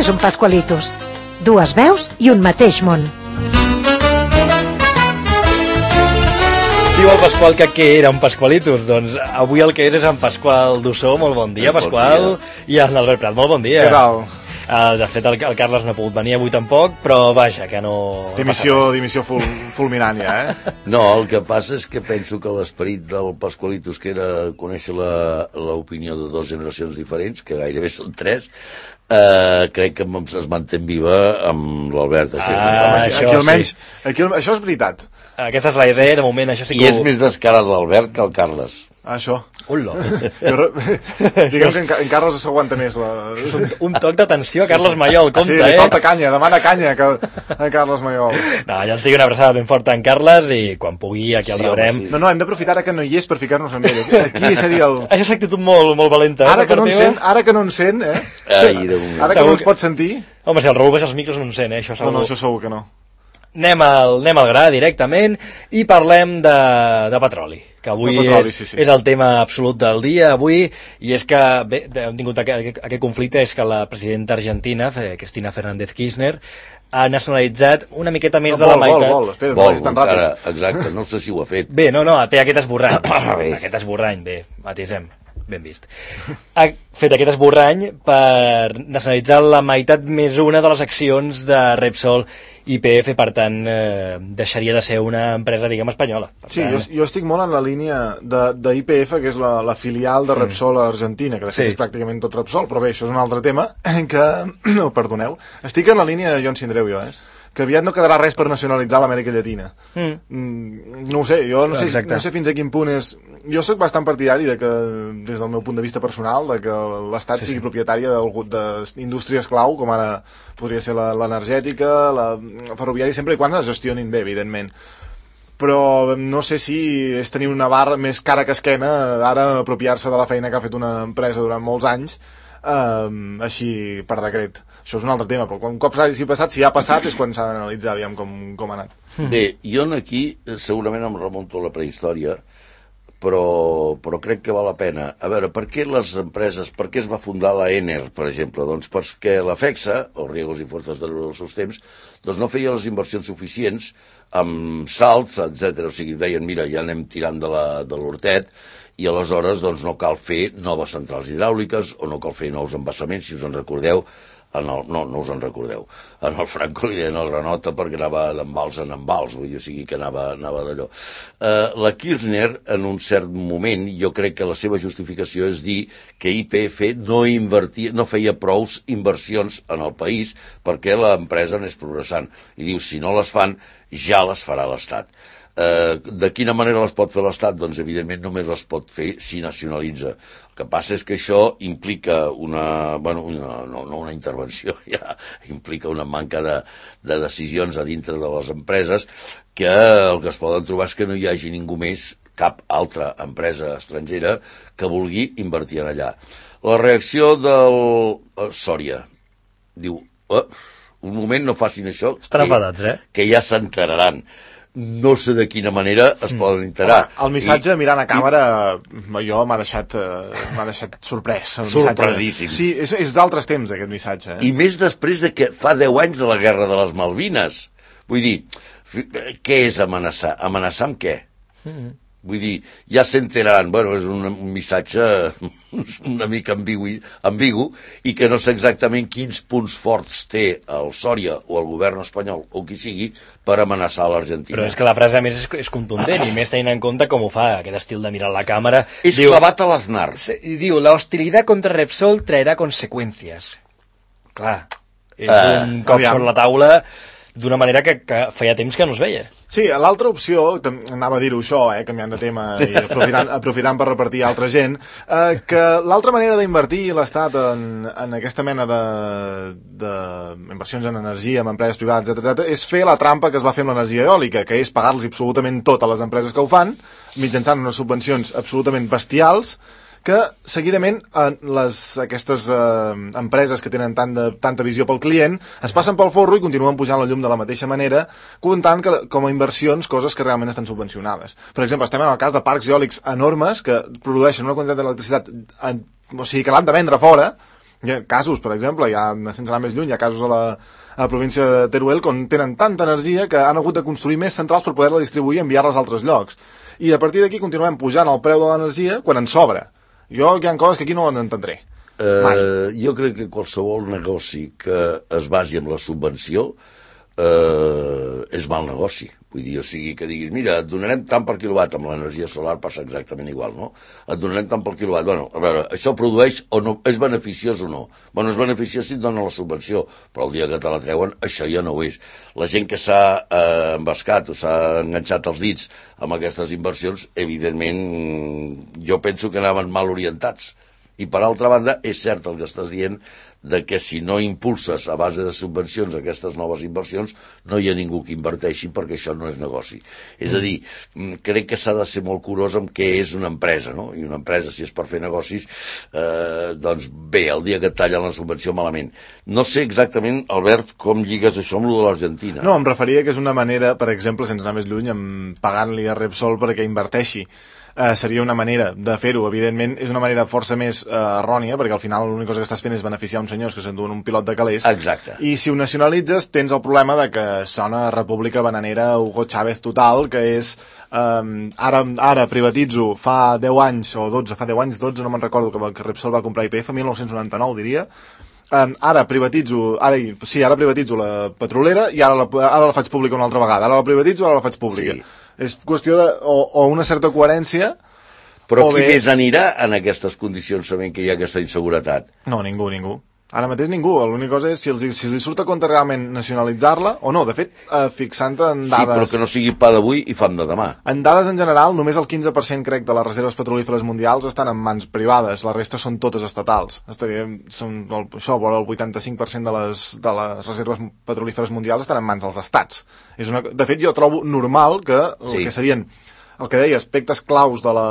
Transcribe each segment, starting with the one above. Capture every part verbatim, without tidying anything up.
és un Pascualitos? Dues veus i un mateix món. Diu el Pasqual que què era un Pascualitos? Doncs avui el que és és en Pasqual Dussó. Molt bon dia, Pasqual. I en Albert Prat, molt bon dia. Què tal? Uh, de fet, el, el Carles no ha pogut venir avui tampoc, però vaja, que no... Dimissió, dimissió ful, fulminant ja, eh? No, el que passa és que penso que l'esperit del Pascualitos, que era conèixer l'opinió de dues generacions diferents, que gairebé són tres, eh, crec que es manté viva amb l'Albert. Ah, aquí, això aquí almenys, sí. Aquí, això és veritat. Aquesta és la idea, de moment això sí que... I és més descarat l'Albert que el Carles. Això. Ullo. Diguem que en, en Carles s'aguanta més la... un, un toc d'atenció a Carles Mayol, compte, sí, eh? Sí, li falta canya, demana canya que, a Carles Mayol. No, ja en sigui una abraçada ben forta en Carles i quan pugui aquí el Sí, rebrem. home, sí. No, no, hem d'aprofitar ara que no hi és per ficar-nos amb ell. Aquí seria el... Això és actitud molt, molt valenta. Ara eh, que no en teva? sent, ara que no en sent, eh? Ai, de moment. Ara que no ens pot sentir... Home, si el Raül baixa els micros no en sent, eh? Això segur. No, no, això segur que no. Anem al, anem al gra directament i parlem de, de petroli, que avui De petroli, és, sí, sí. és el tema absolut del dia avui, i és que bé, hem tingut aquest, aquest conflicte, és que la presidenta argentina, Cristina Fernández Kirchner, ha nacionalitzat una miqueta més No, de la vol, meitat. vol, vol, espera, no Vol, vagis tan encara, ràpid. exacte, no sé si ho ha fet. Bé, no, no, té aquest esborrany. Bé. Aquest esborrany, bé, matisem. Ben vist. Ha fet aquest esborrany per nacionalitzar la meitat més una de les accions de Repsol I P F, per tant, eh, deixaria de ser una empresa, diguem, espanyola. Per Sí, tant... jo, jo estic molt en la línia de, de I P F, que és la, la filial de Repsol a Argentina, que de fet Sí. és pràcticament tot Repsol, però bé, això és un altre tema, que, no, perdoneu, estic en la línia de Joan Sindreu, jo, eh? Que aviat no quedarà res per nacionalitzar l'Amèrica Llatina. Mm. Mm, no ho sé, jo no sé, Exacte. no sé fins a quin punt és... Jo sóc bastant partidari de que, des del meu punt de vista personal, de que l'Estat sí, sigui sí. propietària d'indústries clau, com ara podria ser l'energètica, la, la ferroviària, sempre i quan es gestionin bé, evidentment. Però no sé si és tenir una barra més cara que esquena, ara apropiar-se de la feina que ha fet una empresa durant molts anys, eh, així per decret. Això és un altre tema, però quan un cop s'hagi passat, si ha passat, és quan s'ha d'analitzar, aviam com, com ha anat. Bé, jo aquí segurament em remunto a la prehistòria, però, però crec que val la pena. A veure, per què les empreses, per què es va fundar la Enel, per exemple? Doncs perquè la FEXA, o Riegos i Fuerzas de los seus temps, doncs no feia les inversions suficients amb salts, etcètera. O sigui, deien, mira, ja anem tirant de l'hortet, i aleshores doncs, no cal fer noves centrals hidràuliques o no cal fer nous embassaments, si us en recordeu. En el, no, no us en recordeu. En el Franco li deien el Granota perquè anava d'embals en embals, vull dir, o sigui que anava, anava d'allò. Uh, la Kirchner, en un cert moment, jo crec que la seva justificació és dir que I P F no, invertia, no feia prous inversions en el país perquè l'empresa anés progressant. I diu, si no les fan, ja les farà l'Estat. Uh, de quina manera les pot fer l'Estat? Doncs evidentment només les pot fer si nacionalitza. El que passa és que això implica una, bueno, una, no, no una intervenció, ja implica una manca de, de decisions a dintre de les empreses, que el que es poden trobar és que no hi hagi ningú més, cap altra empresa estrangera que vulgui invertir en allà. La reacció del uh, Sòria diu, oh, un moment, no facin això, Estan que, enfadats, eh? que ja s'enteraran. No sé de quina manera es poden enterar. Home, el missatge I, mirant a càmera i... jo m'ha deixat, uh, m'ha deixat sorprès. Sorpresíssim. Sí, és, és d'altres temps aquest missatge. Eh? I més després de que fa deu anys de la Guerra de les Malvines. Vull dir, què és amenaçar? Amenaçar amb què? Mm-hmm. Vull dir, ja s'enteraran, bueno, és un, un missatge una mica ambigu, ambigu i que no sé exactament quins punts forts té el Sòria o el govern espanyol o qui sigui per amenaçar l'Argentina. Però és que la frase a més és, és contundent i més tenint en compte com ho fa, aquest estil de mirar la càmera. És diu, clavat a l'Aznar. I diu, la hostilidad contra Repsol traerá conseqüències. Clar, és Uh, un cop aviam. sobre la taula d'una manera que, que feia temps que no es veia. Sí, l'altra opció, anava a dir-ho això, eh, canviant de tema i aprofitant, aprofitant per repartir a altra gent, eh, que l'altra manera d'invertir l'Estat en, en aquesta mena de, de inversions en energia, en empreses privades, etcètera, és fer la trampa que es va fer amb l'energia eòlica, que és pagar-los absolutament tot a les empreses que ho fan, mitjançant unes subvencions absolutament bestials, que seguidament les, aquestes eh, empreses que tenen tant de, tanta visió pel client es passen pel forro i continuen pujant la llum de la mateixa manera, comptant que, com a inversions coses que realment estan subvencionades. Per exemple, estem en el cas de parcs eòlics enormes que produeixen una quantitat d'electricitat, o sigui, que l'han de vendre fora, Hi ha casos, per exemple, hi ha, sense anar més lluny, hi ha casos a la, a la província de Teruel on tenen tanta energia que han hagut de construir més centrals per poder-la distribuir i enviar-les a altres llocs. I a partir d'aquí continuem pujant el preu de l'energia quan ens sobra. Jo hi ha coses que aquí no les entendré. Uh, jo crec que qualsevol negoci que es basi en la subvenció uh, és mal negoci. Vull dir, o sigui, que diguis, mira, et donarem tant per quilowatt, amb l'energia solar passa exactament igual, no? Et donarem tant per quilowatt. Bueno, a veure, això produeix o no, és beneficiós o no? Bueno, és beneficiós si et donen la subvenció, però el dia que te la treuen, això ja no ho és. La gent que s'ha eh, embascat o s'ha enganxat els dits amb aquestes inversions, evidentment, jo penso que anaven mal orientats. I, per altra banda, és cert el que estàs dient de que si no impulses a base de subvencions aquestes noves inversions, no hi ha ningú que inverteixi perquè això no és negoci. És a dir, crec que s'ha de ser molt curós amb què és una empresa, no? I una empresa, si és per fer negocis, eh, doncs bé, el dia que et tallen la subvenció malament. No sé exactament, Albert, com lligues això amb lo de l'Argentina. No, em referia que és una manera, per exemple, sense anar més lluny, amb pagant-li a Repsol perquè inverteixi. Uh, seria una manera de fer-ho. Evidentment és una manera força més uh, errònia, perquè al final l'única cosa que estàs fent és beneficiar uns senyors que s'enduen un pilot de calés. Exacte. I si ho nacionalitzes tens el problema de que sona República Bananera Hugo Chávez total, que és um, ara, ara privatitzo fa deu anys o dotze, fa deu anys, dotze, no me'n recordo, que, que Repsol va comprar I P F, mil nou-cents noranta-nou diria. Um, ara privatitzo, ara, sí, ara privatitzo la petrolera i ara la, ara la faig pública una altra vegada. Ara la privatitzo, ara la faig pública. Sí. És qüestió de, o, o una certa coherència. Però qui bé... més anirà en aquestes condicions sabent que hi ha aquesta inseguretat? No, ningú, ningú. Ara mateix ningú. L'única cosa és si els, si els surt a compte realment nacionalitzar-la, o no, de fet, eh, fixant en dades... Sí, però que no sigui pa d'avui i fam de demà. En dades en general, només el quinze per cent, crec, de les reserves petrolíferes mundials estan en mans privades, la resta són totes estatals. Estaríem, són, el, això, el vuitanta-cinc per cent de les, de les reserves petrolíferes mundials estan en mans dels estats. És una, de fet, jo trobo normal que el sí. que serien, el que deia, aspectes claus de la...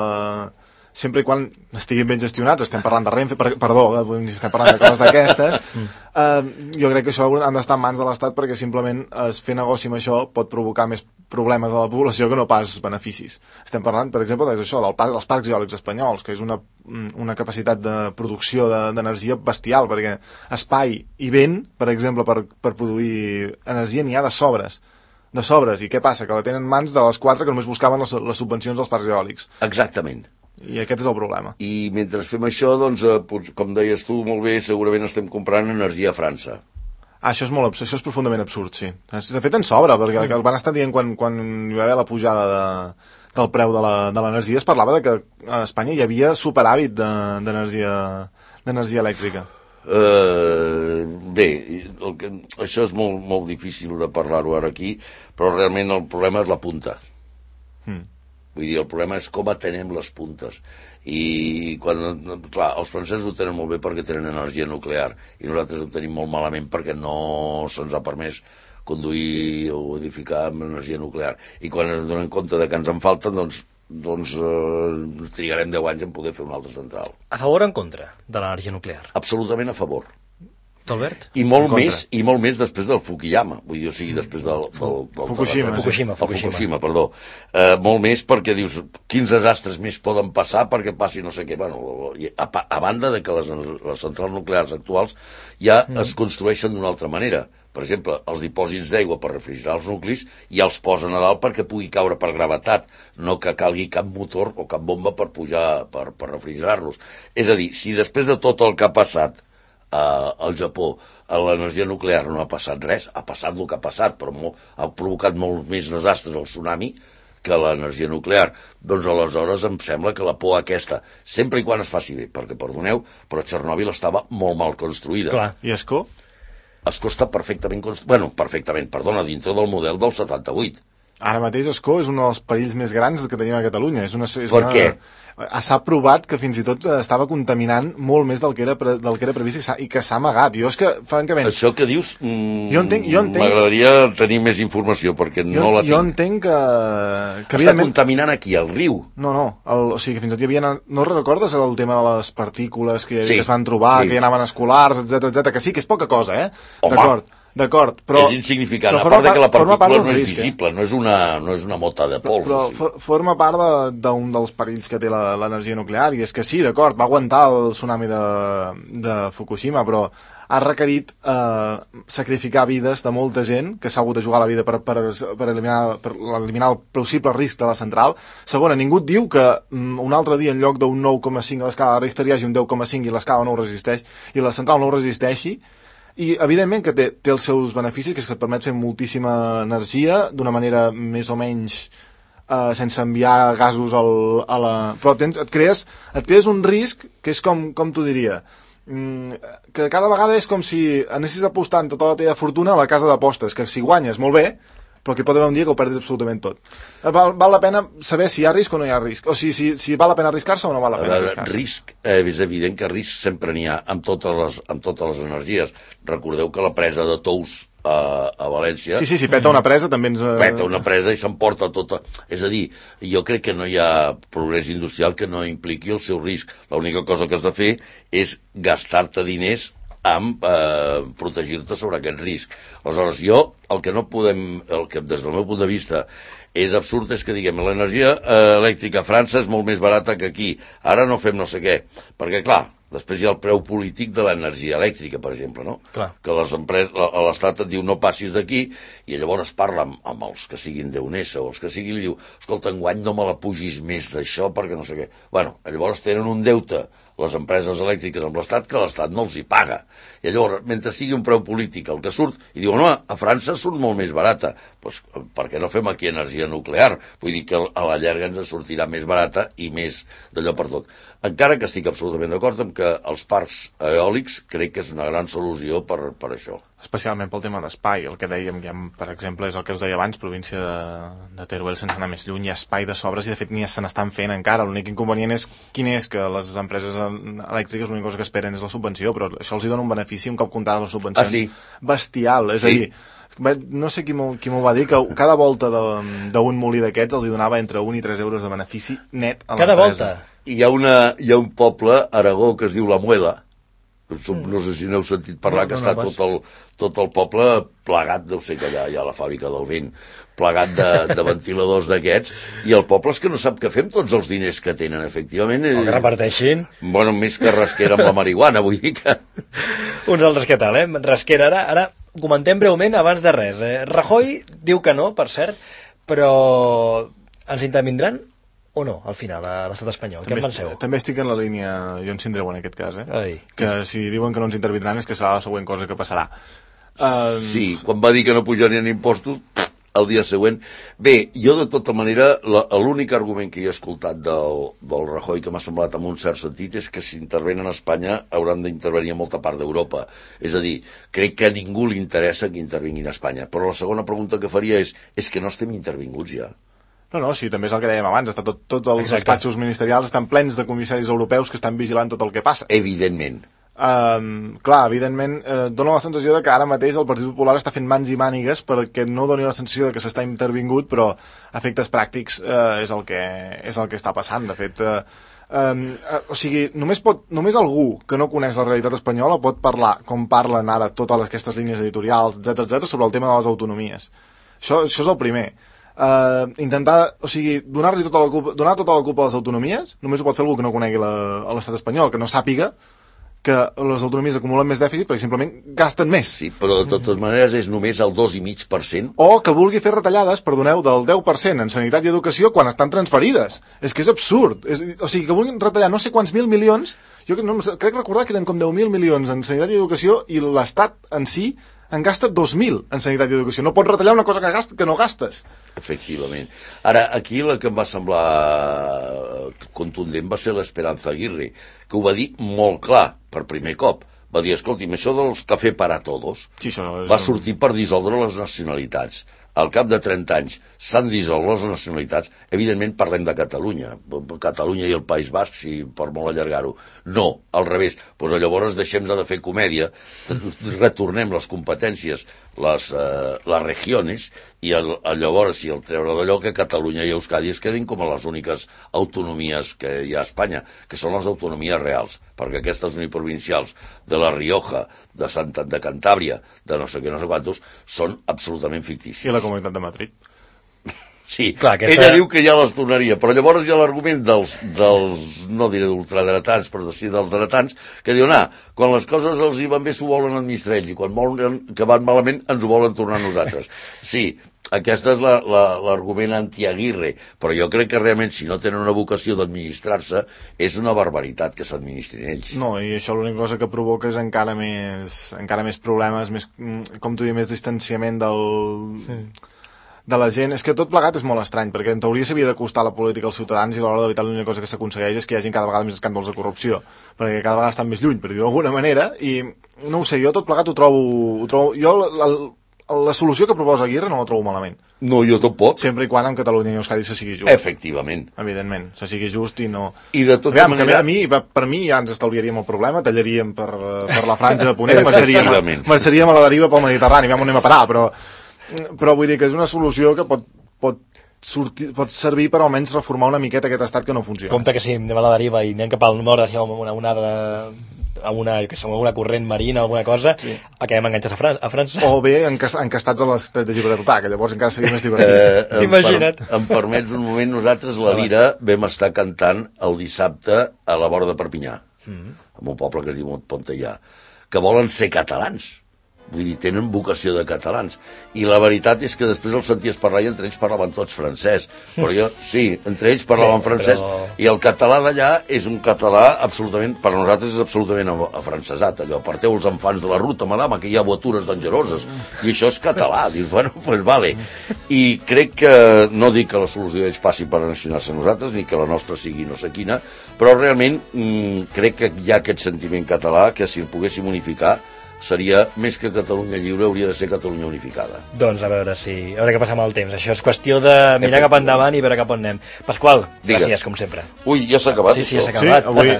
sempre i quan estiguin ben gestionats, estem parlant de Renfe, per, perdó, estem parlant de coses d'aquestes, eh, jo crec que això han d'estar en mans de l'Estat perquè simplement es fer negoci amb això pot provocar més problemes a la població que no pas beneficis. Estem parlant, per exemple, d'això, del parc, dels parcs eòlics espanyols, que és una, una capacitat de producció d'energia de, bestial, perquè espai i vent, per exemple, per, per produir energia n'hi ha de sobres. de sobres, i què passa? Que la tenen en mans de les quatre que només buscaven les, les subvencions dels parcs eòlics. Exactament. I aquest és el problema. I mentre fem això, doncs, eh, com deies tu molt bé, segurament estem comprant energia a França. Ah, això és molt absurd, això és profundament absurd, sí. De fet, en sobra, perquè el van estar dient quan, quan hi va haver la pujada de, del preu de l'energia, es parlava de que a Espanya hi havia superàvit d'energia d'energia elèctrica. Uh, bé, el que, això és molt, molt difícil de parlar-ho ara aquí, però realment el problema és la punta. Mm. Vull dir, el problema és com atenem les puntes. I, quan, clar, els francesos ho tenen molt bé perquè tenen energia nuclear i nosaltres ho tenim molt malament perquè no se'ns ha permès conduir o edificar amb energia nuclear. I quan ens donem compte de que ens en falten, doncs, doncs eh, trigarem deu anys en poder fer una altra central. A favor o en contra de l'energia nuclear? Absolutament a favor. Albert? I molt més, i molt més després del Fukuyama, vull dir, o sigui, després del... del, del Fukushima, del, Fukushima, Fukushima, Fukushima, perdó. Eh, molt més perquè dius, quins desastres més poden passar perquè passi no sé què. Bueno, a, a banda de que les, les centrals nuclears actuals ja mm. es construeixen d'una altra manera. Per exemple, els dipòsits d'aigua per refrigerar els nuclis ja els posen a dalt perquè pugui caure per gravetat, no que calgui cap motor o cap bomba per pujar, per, per refrigerar-los. És a dir, si després de tot el que ha passat Uh, al Japó, a l'energia nuclear no ha passat res, ha passat el que ha passat, però molt, ha provocat molt més desastres el tsunami que l'energia nuclear. Doncs aleshores em sembla que la por aquesta, sempre i quan es faci bé, perquè perdoneu, però Txernòbil estava molt mal construïda. Clar. I Escó? Escó està perfectament construïda, bueno, perfectament, perdona, dintre del model del setanta-vuit. Ara mateix Escó és un dels perills més grans que tenim a Catalunya. És una, és per una... què? S'ha provat que fins i tot estava contaminant molt més del que era, pre... del que era previst i que s'ha amagat. Jo és que, francament... Això que dius, mm, jo entenc, jo entenc... m'agradaria tenir més informació, perquè jo, no la tinc. Jo entenc que... que Està evidentment... contaminant aquí, al riu. No, no, el, o sigui que fins i tot hi havia... No recordes el tema de les partícules que, sí, que es van trobar, sí. que hi anaven escolars, etcètera, etcètera, que sí, que és poca cosa, eh? Home, d'acord. D'acord, però... És insignificant, però a part de que la partícula no és risc, visible, eh? no, és una, no és una mota de pols. Però, però for, forma part de- d'un de, dels perills que té l'energia nuclear, i és que sí, d'acord, va aguantar el tsunami de, de Fukushima, però ha requerit eh, sacrificar vides de molta gent que s'ha hagut de jugar la vida per, per, per, eliminar, per eliminar el possible risc de la central. Segona, ningú et diu que mm, un altre dia en lloc d'un nou coma cinc a l'escala de Richter hi hagi un deu coma cinc i l'escala no ho resisteix, i la central no ho resisteixi. I, evidentment, que té, té els seus beneficis, que és que et permet fer moltíssima energia d'una manera més o menys eh, sense enviar gasos al, a la... Però tens, et, crees, et crees un risc que és com, com t'ho diria, mm, que cada vegada és com si anessis apostant tota la teva fortuna a la casa d'apostes, que si guanyes, molt bé, però que pot haver un dia que ho perdis absolutament tot. Val, val la pena saber si hi ha risc o no hi ha risc, o si, si, si val la pena arriscar-se o no val la pena arriscar-se. Risc, eh, és evident que risc sempre n'hi ha amb totes, les, amb totes les energies. Recordeu que la presa de Tous a, a València... Sí, sí, si peta una presa també ens... Peta una presa i s'emporta tota... És a dir, jo crec que no hi ha progrés industrial que no impliqui el seu risc. L'única cosa que has de fer és gastar-te diners amb eh, protegir-te sobre aquest risc. Aleshores, jo, el que no podem, el que des del meu punt de vista és absurd és que diguem l'energia eh, elèctrica a França és molt més barata que aquí, ara no fem no sé què, perquè clar, després hi ha el preu polític de l'energia elèctrica, per exemple, no? Clar. Que les empreses, l'Estat et diu no passis d'aquí, i llavors parla amb, amb els que siguin d'Eunesa o els que siguin, li diu, escolta, enguany no me la pugis més d'això perquè no sé què. Bueno, llavors tenen un deute les empreses elèctriques amb l'Estat que l'Estat no els hi paga. I llavors, mentre sigui un preu polític el que surt, i diuen, no, a França surt molt més barata. Doncs per què no fem aquí energia nuclear? Vull dir que a la llarga ens sortirà més barata i més d'allò per tot. Encara que estic absolutament d'acord amb que els parcs eòlics crec que és una gran solució per, per això. Especialment pel tema d'espai, el que dèiem, ja, per exemple, és el que us deia abans, província de, de Teruel, sense anar més lluny, hi ha espai de sobres i de fet ni se n'estan fent encara. L'únic inconvenient és quin és que les empreses elèctriques l'única cosa que esperen és la subvenció, però això els hi dona un benefici un cop comptades les subvencions. Ah, sí? Bestial, és Sí. a dir, no sé qui m'ho va dir, que cada volta d'un molí d'aquests els hi donava entre un i tres euros de benefici net a l'empresa. Cada volta? Hi ha, una, hi ha un poble a Aragó que es diu La Muela, no sé si n'heu sentit parlar, no, que no, està no, tot, el, tot el poble plegat, deu ser que allà hi ha la fàbrica del vent, plegat de, de ventiladors d'aquests, i el poble és que no sap què fer amb tots els diners que tenen, efectivament. O que reparteixin. Bueno, més que rasquera amb la marihuana, vull dir que... Uns altres què tal, eh? Rasquera, ara, ara comentem breument abans de res. Eh? Rajoy diu que no, per cert, però ens intervindran o no, al final, a l'estat espanyol? Què en penseu? També estic en la línia Jon Sindreu en aquest cas, eh? Ai. Que si diuen que no ens intervindran és que serà la següent cosa que passarà. Um... Sí, quan va dir que no pujarien impostos, el dia següent... Bé, jo de tota manera, l'únic argument que he escoltat del, del Rajoy que m'ha semblat amb un cert sentit és que si intervenen a Espanya hauran d'intervenir a molta part d'Europa. És a dir, crec que a ningú li interessa que intervinguin a Espanya. Però la segona pregunta que faria és, és que no estem intervinguts ja. No, no, sí, també és el que dèiem abans, està tot, tots els Exacte. despatxos ministerials estan plens de comissaris europeus que estan vigilant tot el que passa. Evidentment. Um, clar, evidentment, eh, dona la sensació de que ara mateix el Partit Popular està fent mans i mànigues perquè no doni la sensació de que s'està intervingut, però a efectes pràctics eh, és, el que, és el que està passant. De fet, eh, um, eh, o sigui, només, pot, només algú que no coneix la realitat espanyola pot parlar, com parlen ara totes aquestes línies editorials, etcètera, etcètera, sobre el tema de les autonomies. Això, això és el primer. Uh, intentar, o sigui, donar-li tota la culpa, donar tota la culpa a les autonomies només ho pot fer algú que no conegui l'estat espanyol, que no sàpiga que les autonomies acumulen més dèficit perquè simplement gasten més. Sí, però de totes maneres és només el dos coma cinc per cent. O que vulgui fer retallades, perdoneu, del deu per cent en sanitat i educació quan estan transferides. És que és absurd. És, o sigui, que vulguin retallar no sé quants mil milions, jo no, crec recordar que eren com deu mil milions en sanitat i educació i l'Estat en si en gasta dos mil en sanitat i educació. No pots retallar una cosa que, gast, que no gastes. Efectivament. Ara, aquí la que em va semblar contundent va ser l'Esperanza Aguirre, que ho va dir molt clar, per primer cop. Va dir, escolti'm, això dels café para todos Sí, això és... va sortir per dissoldre les nacionalitats. al cap de trenta anys s'han dissolt les nacionalitats, evidentment parlem de Catalunya, Catalunya i el País Basc, si per molt allargar-ho. No, al revés. Pues llavors deixem de fer comèdia, retornem les competències, les, eh, les regions, i el, llavors si el treure d'allò que Catalunya i Euskadi es quedin com a les úniques autonomies que hi ha a Espanya, que són les autonomies reals, perquè aquestes uniprovincials de la Rioja, de Santa, de Cantàbria, de no sé què, no sé quantos, són absolutament fictícies. I la Comunitat de Madrid. Sí, clar, aquesta... ella diu que ja les tornaria, però llavors hi ha l'argument dels, dels, no diré d'ultradretans, però sí dels dretans, que diuen, ah, quan les coses els hi van bé s'ho volen administrar ells, i quan volen que van malament ens ho volen tornar a nosaltres. Sí, aquesta és l'argument la, anti-Aguirre, però jo crec que realment si no tenen una vocació d'administrar-se és una barbaritat que s'administrin ells. No, i això l'única cosa que provoca és encara més, encara més problemes, més, com tu dius, més distanciament del... Sí. de la gent. És que tot plegat és molt estrany, perquè en teoria s'havia d'acostar la política als ciutadans i a l'hora de veritat l'única cosa que s'aconsegueix és que hi hagi cada vegada més escàndols de corrupció, perquè cada vegada estan més lluny, per dir-ho d'alguna manera, i no ho sé, jo tot plegat ho trobo... Ho trobo jo la, la, la solució que proposa Aguirre no la trobo malament. No, jo tampoc. Sempre i quan en Catalunya i Euskadi se sigui just. Efectivament. Evidentment, se sigui just i no... I de tota Aviam, manera... a mi, per mi ja ens estalviaríem el problema, tallaríem per, per la franja de Ponent, marxaríem, marxaríem a la deriva pel Mediterrani, aviam on anem a parar, però, però vull dir que és una solució que pot pot, sortir, pot servir per almenys reformar una miqueta aquest estat que no funciona. Compte que si anem a la deriva i anem cap al nord, si amb una onada a una, que som una corrent marina o alguna cosa, sí. Acabem enganxats a, Fran a França. O bé encastats a l'estret de Gibraltar, que llavors encara seria més divertit. Eh, Imagina't. Per, em permets un moment, nosaltres la Lira vam estar cantant el dissabte a la vora de Perpinyà, mm. en un poble que es diu Pontellà, que volen ser catalans. Vull dir, tenen vocació de catalans. I la veritat és que després els senties parlar i entre ells parlaven tots francès. Però jo, sí, entre ells parlaven francès. Però... I el català d'allà és un català absolutament, per nosaltres és absolutament afrancesat. Allò, aparteu els enfants de la ruta, madama, que hi ha voitures dangeroses. I això és català. Dius, bueno, doncs pues vale. I crec que, no dic que la solució d'ells passi per nacionar-se a nosaltres, ni que la nostra sigui no sé quina, però realment mmm, crec que hi ha aquest sentiment català que si el poguéssim unificar seria més que Catalunya lliure, hauria de ser Catalunya unificada. Doncs a veure si a veure què passa amb el temps. Això és qüestió de mirar cap endavant i veure cap on anem. Pasqual, Digues. Gràcies, com sempre. Ui, ja s'ha acabat. Sí, sí, s'ha acabat. Sí, avui...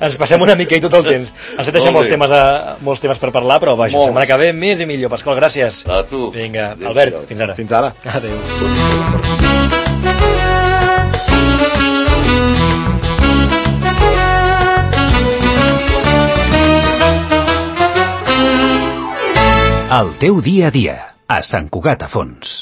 Ens passem una mica i tot el temps. Ens deixem molts temes, a, molts temes per parlar, però vaja, la setmana que ve més i millor. Pasqual, gràcies. A tu. Vinga, Adéu, Albert, fins ara. Fins ara. Adéu. El teu dia a dia, a Sant Cugat a Fons.